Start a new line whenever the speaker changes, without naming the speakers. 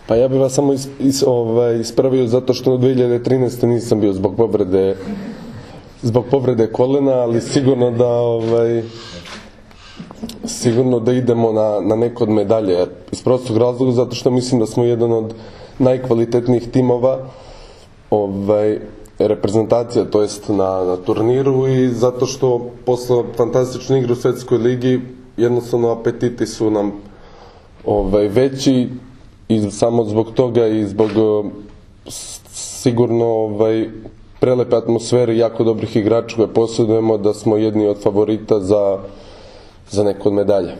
Pa ja bih vas samo ispravio zato što u 2013. nisam bio zbog povrede kolena, ali sigurno da idemo na neko od medalje. Iz prostog razloga zato što mislim da smo jedan od najkvalitetnijih timova reprezentacija, to jest na turniru, i zato što posle fantastične igre u Svetskoj ligi jednostavno apetiti su nam veći, i samo zbog toga i zbog sigurno prelepe atmosfere i jako dobrih igrača koje posjedujemo, da smo jedni od favorita za neko od medalja.